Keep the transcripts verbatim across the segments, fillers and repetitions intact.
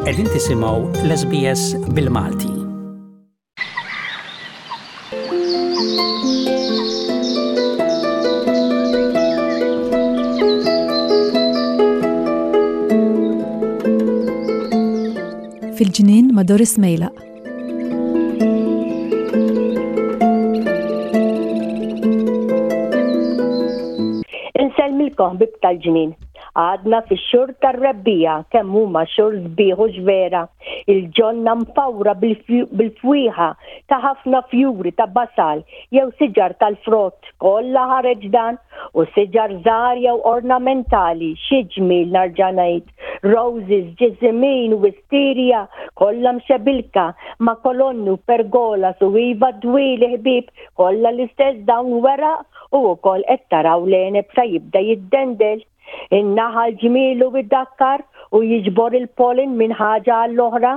Qegħdin tisimgħu l-S B S bil-Malti. Fil-ġnien ma' Doris Mejlaq. Insellmilkom, ħbieb tal-ġnien. Għadna fix-xhur tar-rebbiegħa. Kemm huma xhur sbieħ u vera. Il-ġonna mfawra bil-fwieħa ta' ħafna fjuri ta' basal jew siġar tal-frott, kollha ħareġ dan, u siġar żgħar jew ornamentali, xi ġmiel nerġa' ngħid. Roses, ġiżimin, wisteria, kollha mxebilka ma' kolonni u pergolas u iva dwieli, ħbieb, kollha l-istess dawn weraq u wkoll qed taraw l-għeneb sa jibda jiddendel. In-naħal ġmielu iddakkar u jiġbor il-pollen minn ħaġa għall-oħra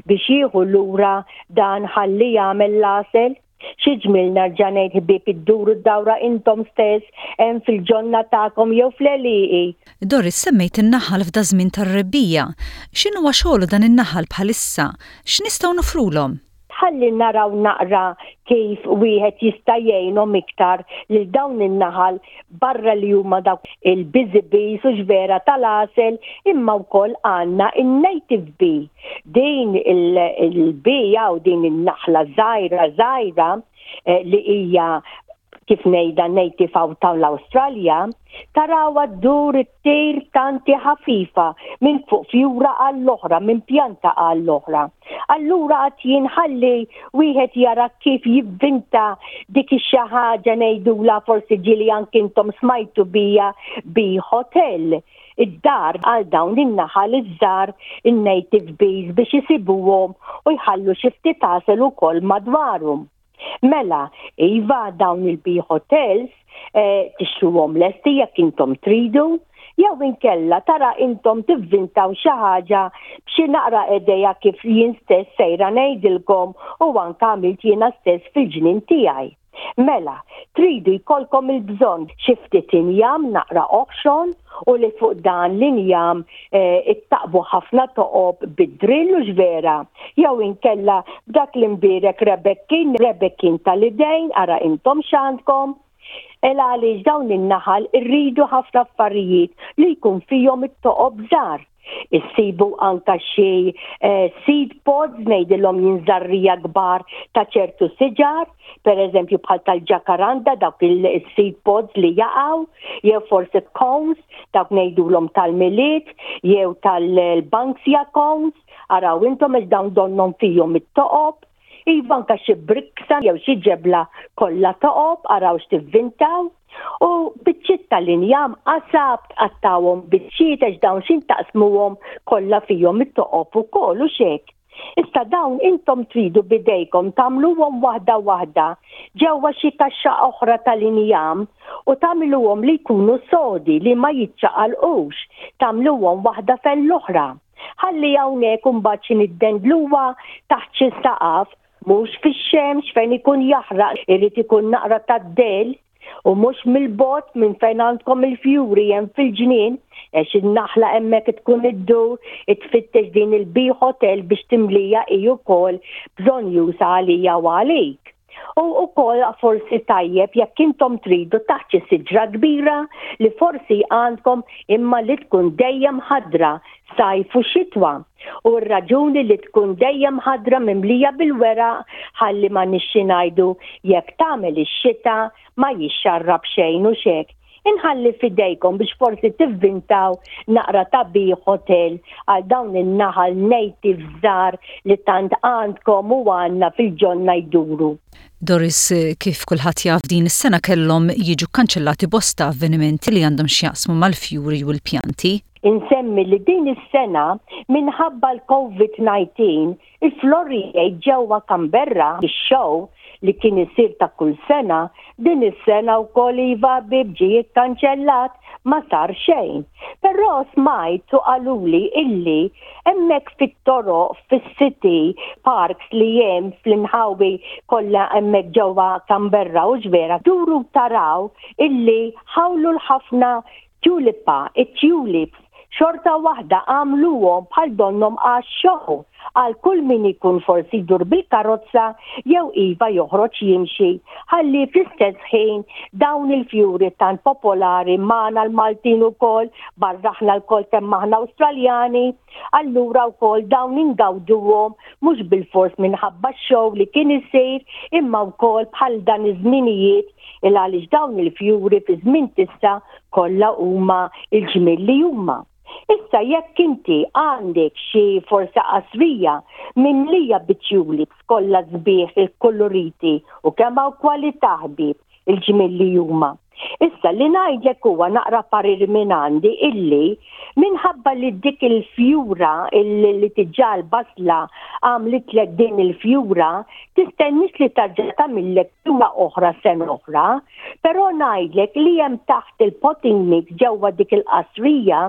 biex jieħu lura dan ħalli jagħmel l-għasel. Xi ġmiel nerġa' ngħid, ħbieb, idduru d-dawra intom stess hemm fil-ġonna tagħkom jew fl-għelieqi. Doris, semmejt in-naħal f'da żmien tar-rebbiegħa. X'inhuwa xogħlu dan in-naħal bħalissa? X'nistgħu nofrulhom? Ħalli naraw naqra kif wieħed jista' jgħinhom iktar lil dawn in-naħal, barra li huma dawk il-busy bees u vera tal-għasel, imma wkoll għandna in-native bee. Din il-bee jew din in-naħla żgħira żgħira eh, li hija, kif ngħidha, native out tal-Awstralja, tarawha ddur it-tir tanti ħafifa minn fuq fjura għall-oħra, minn pjanta għall-oħra. Allura għad jinħalli wieħed jara kif jivvinta dik ix-xi ħaġa ngħidula, forsi ġieli anke intom smajtu bija, bee hotel, id-dar għal dawn in-naħal iż-żgħar, in-native bees, biex isibuhom u jħallu xi ftit għasel ukoll madwarhom. Mela, iva, dawn il-bee hotels eh, tixtruhom lesti jekk intom tridu, jew inkella tara intom tivvintaw xi ħaġa b'xi naqra idea kif jien stess sejra ngħidilkom u anke għamilt jiena stess fil-ġnien tiegħi. Mela, tridu jkollkom il-bżonn xi ftit injam naqra oħxon u li fuq dan l-injam eh, ittaqbu ħafna toqob bid-drill u vera. Jew inkella b'dak l-imbierek rebekkin, rebekkin tal-idejn, ara intom x'għandkom. El għaliex dawn in-naħal irridu ħafna affarijiet li jkun fihom it-toqob żgħar. Issibu anka xi eh, seed pods, ngħidilhom jien, żerriegħa kbar ta' ċertu siġar, per eżempju bħal tal-ġakaranda, dawk il-seed pods li jaqgħu, jew forsi cones, dawk ngħidulhom tal-Milied, jew tal-Banksia cones, araw intom għax dawn donnhom fihom it-toqob. Iva, anka xi briksa jew xi ġebla kollha toqob, araw x'tivvintaw. U biċċiet tal-injam, qasab, tqattawhom biċċiet għax dawn xin taqsmuhom kollha fihom it-toqob ukoll u xek. Issa dawn intom tridu bidejkom tagħmluhom waħda waħda ġewwa xi kaxxa oħra tal-injam u tagħmluhom li jkunu sodi, li ma jiċċaqalqux, tagħmluhom waħda fel-oħra. Ħalli hawnhekk imbagħad xi niddendluha taħt xi saqaf, mhux fix-xemx fejn ikun jaħraq, irid ikun naqra tad-dell u mhux mill-bogħod minn fejn għandkom il-fjuri hemm fil-ġnien, għax in-naħla hemmhekk tkun iddur tfittex din il-bee hotel biex timlija hi wkoll, bżonnjuża għalija u għalik. U ukoll forsi tajjeb jekk intom tridu taħt xi siġra kbira li forsi għandkom, imma li tkun dejjem ħadra sajf u xitwa. U r-raġuni li tkun dejjem ħadra, mimlija bil-weraq, ħalli ma nixxi ngħidu jekk tagħmel ix-xita ma jixxarrab xejn u xek. Inħalli fidejkom biex forsi tivvintaw naqra ta' bee hotel għal dawn in-naħal native żgħar li tant għandkom u għandna fil-ġonna jduru. Doris, kif kulħadd jaf, din is-sena kellhom jiġu kkanċellati bosta avvenimenti li għandhom x'jaqsmu mal-fjuri u l-pjanti. Insemmi li din is-sena, minħabba l-COVID nineteen, il-Floriade ġewwa Canberra, ix-show li kien isir ta' kull sena, din is-sena wkoll, iva ħbieb, ġie kkanċellat, ma sar xejn. Però smajt u qaluli illi hemmhekk fit-toroq, fis-city parks li hemm fl-inħawi kollha hemmhekk ġewwa Canberra u ġvera, duru taraw illi ħawlu l-ħafna tulipa, it-tulips. Xorta waħda għamluhom bħal donnhom għax-show għal kull min ikun forsi jdur bil-karozza jew iva joħroġ jimxi, ħalli fl-istess ħin dawn il-fjuri tant popolari magħna l-Maltin ukoll, barra aħna lkoll kemm aħna Awstraljani, allura wkoll dawn ingawduhom mhux bilfors minħabba x-show li kien isir, imma wkoll bħal dan iż-żminijiet, il għaliex dawn il-fjuri fi żmien tista' kollha huma il-ġmiel li huma. Issa jekk inti għandek xi forsi qasrija mimlija bit-tulips kollha sbieħ il-koloriti u kemm hawn kwalità, ħbieb, il-ġmiel li huma. Issa li ngħidlek huwa naqra parir minn għandi illi minħabba li dik il-fjura li diġà l-basla għamlitlek din il-fjura, tistennix li terġa' tagħmillek fjura oħra sena oħra, però ngħidlek li hemm taħt il-potting mix ġewwa dik il-qasrija,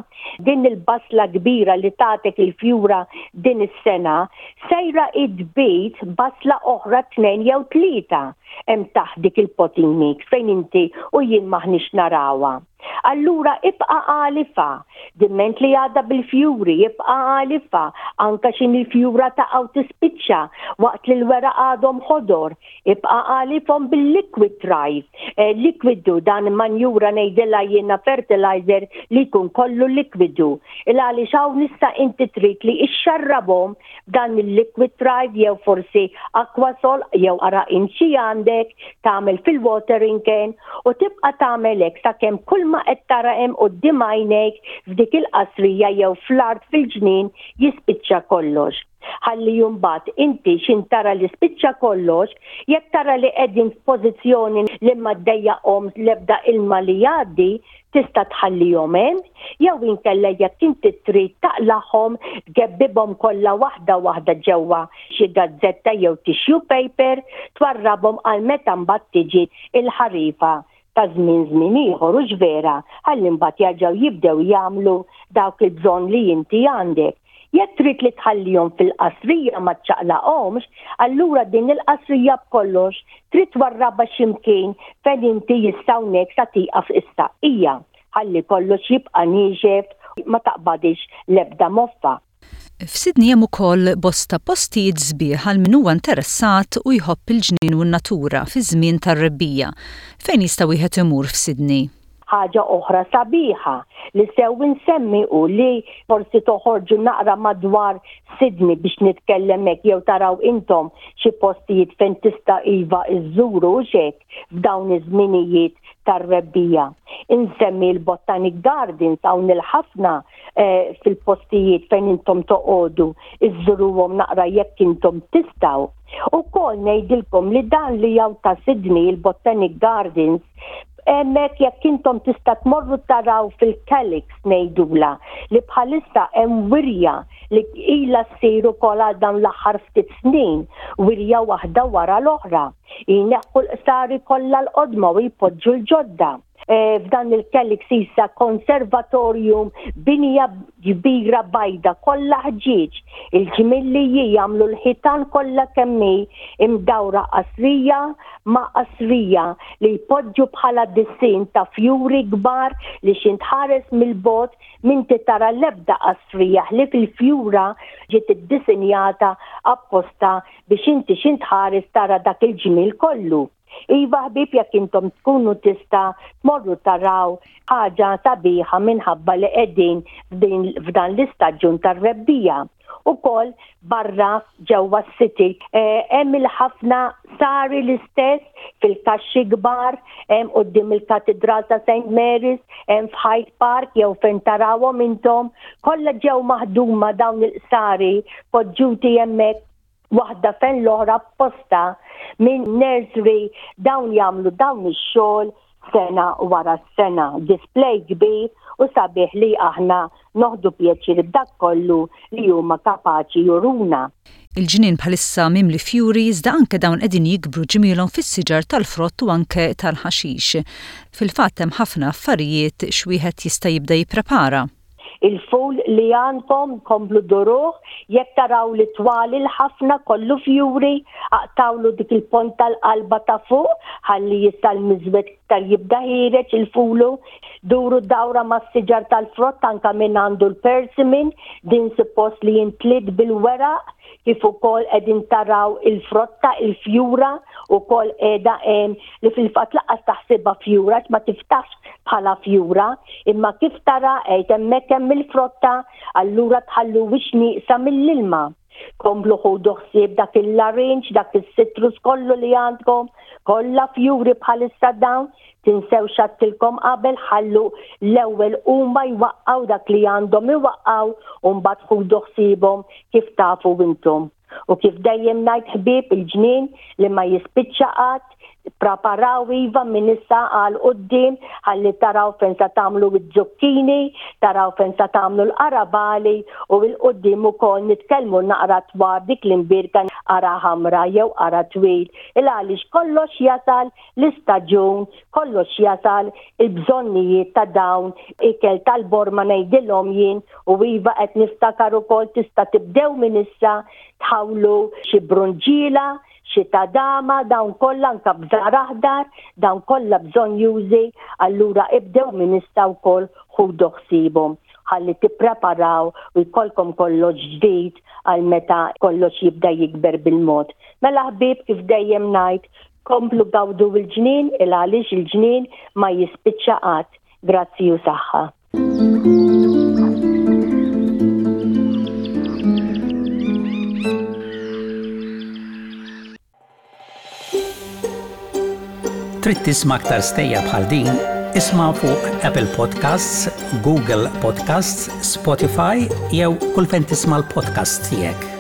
din il-basla kbira li tatek il-fjura din is-sena, sejra tbid basla oħra, tnejn jew tlieta, hemm taħt dik il-potting mix fejn inti u jien m'aħniex narawha. Allura ibqa' għalifha, diment li għadha bil-fjuri, ibqa' għalifha, anka x'ħin il-fjura ta' tispiċċa waqt li l-weraq għadhom ħodor, ibqa' għalifhom bil-liquid Thrive. Eh, likwidu dan manjura ngħidilha jiena, fertilizer li jkun kollu likwidu. Il għaliex hawn issa inti trid li ixxarrabhom dan il-liquid Thrive jew forsi Aquasol jew ara xi għandek tagħmel fil-watering can u tibqa' tagħmel hekk sakemm kull ma qed tara hemm quddiem għajnejk f'dik il-qasrija jew fl-art fil-ġnien jispiċċa kollox. Ħalli mbagħad inti x'ħin tara li spiċċa kollox, jekk tara li qegħdin f'pożizzjoni li ma ddejjaqhom l-ebda ilma li jgħaddi, tista' tħallihom hemm, jew inkella jekk inti trid taqlagħhom, tgebbibhom kollha waħda waħda ġewwa xi gazzetta jew tissue paper, twarrabhom għal meta mbagħad tiġi il-ħarifa ta' żmien żmien ieħor, u vera, ħalli mbagħad jerġgħu jibdew jagħmlu dawk il-bżonn li inti għandek. Jekk trid li tħallihom fil-qasrija, ma ċċaqlaqhomx, allura din il-qasrija b'kollox trid twarrabha x'imkien fejn inti jistgħu sa tieqaf is-saqqija, ħalli kollox jibqa' niexef, ma taqbadix l-ebda moffa. F'Sydney hemm ukoll bosta postijiet sbieħ għal min huwa interessat u jħobb il-ġnien u n-natura fi żmien tar-rebbiegħa. Fejn jista' wieħed imur f'Sydney? Ħaġa oħra sabiħa li sew insemmi u li forsi toħorġu naqra madwar Sydney biex nitkellem hekk jew taraw intom xi postijiet fejn tista' iva iżżuru xek f'dawn iż-żminijiet tar-rebbiegħa. Insemmi l-Botanic Gardens, hawn il-ħafna eh, fil-postijiet fejn intom toqogħdu, iżżuruhom naqra jekk intom tistgħu. Ukoll ngħidilkom li dan li hawn ta' Sydney, il-Botanic Gardens, hemmhekk jekk intom tista' tmorru taraw fil-Calyx ngħidula, li bħalissa hemm wirja li ilha ssir ukoll għal dan l-aħħar ftit snin, wirja waħda wara l-oħra. Jneħħu l-qsari kollha l-qodma u jpoġġu l-ġodda. E, f'dan il-Calyx issa konservatorium, binja kbira bajda kollha ħġieġ. Il-ġmiel jagħmlu l-ħitan kollha kemm hi imdawra qasrija ma' qasrija li jpoġġu bħala disinn ta' fjuri kbar li x'ħin tħares mill-bogħod m'inti tara l-ebda qasrija li fil-fjura ġiet iddisinjata apposta biex inti x'ħin tħares tara dak il-ġmiel kollu. Iva ħbib, jekk intom tkunu tista' tmorru taraw ħaġa sabiħa minħabba li qegħdin f'dan l-istaġġun tar-rebbiegħa. Ukoll barra ġewwa s-city eh, hemm il-ħafna qsari l-istess fil-kaxxi kbar, hemm quddiem il-Katedral ta' Saint Mary's, hemm f'Hyde Park jew fejn tarawhom intom, kollha ġew maħduma dawn il-qsari poġġuti hemmhekk waħda fejn l-oħra apposta minn nursery. Dawn jagħmlu dawn ix-xogħol sena wara sena. Display kbir u sabiħ li aħna noħdu pjaċir b'dak kollu li huma kapaċi juruna. Il-ġnien bħalissa mimli fjuri, iżda anke dawn qegħdin jikbru ġmielhom fis-siġar tal-frott u anke tal-ħaxix. Fil-fatt hemm ħafna affarijiet x'wieħed jista' jibda jipprepara. Il-ful li għandkom komplu duruh, jekk taraw li twal ħafna kollu fjuri, aqtawlu dik il-pont tal-qalba ta' fuq, ħalli jista' l-miżwed iktar jibda ħiereġ il-fulu. Duru dawra mas-siġar tal-frott anka minn għandu l-persimmon, din suppost li jimtliet bil-weraq, kif ukoll qegħdin taraw il-frotta, il-fjura ukoll qiegħda hemm li fil-fatt lanqas taħsibha fjura ma tiftax bħala fjura, imma kif tara qed hemmhekk hemm il-frotta, allura tħalluhiex nieqsa mill-ilma. Komplu ħudu ħsieb dak il-larinġ, dak is-citrus kollu li għandkom, kollha fjuri bħalissa dawn, tinsew x'għedtilkom qabel ħallu l-ewwel huma jwaqqgħu dak li għandhom iwaqqgħu u mbagħad ħudu ħsiebhom kif tafu intom. U kif dejjem ngħid ħbieb il-ġnien li ma jispiċċa qatt, preparaw iva minn issa għal quddiem ħalli taraw fejn sa tagħmlu z-zucchini, taraw fejn sa tagħmlu l-qarabagħli u 'l quddiem ukoll nitkellmu naqra dwar dik l-imbierka qara ħamra jew qara twil. Il għaliex kollox jasal l-istaġun, kollox jasal il-bżonnijiet ta' dawn ikel tal-borma ngħidilhom jien u iva qed niftakar ukoll tista' tibdew minn issa tħawlu xi brunġiela, xi tadama, dawn kollha anka bżar aħdar, dawn kollha bżonnjużi, allura ibdew minn issa wkoll ħudu ħsiebhom ħalli tippreparaw u jkollkom kollox ġdid għal meta kollox jibda jikber bil-mod. Mela ħbieb kif dejjem ngħid, komplu gawdu il-ġnien il għaliex il-ġnien ma jispiċċa qatt. Grazzi u saħħa. Trid tisma' aktar stejjer bħal din? Isma' fuq Apple Podcasts, Google Podcasts, Spotify jew kull fejn tisma' l-podcast tiegħek.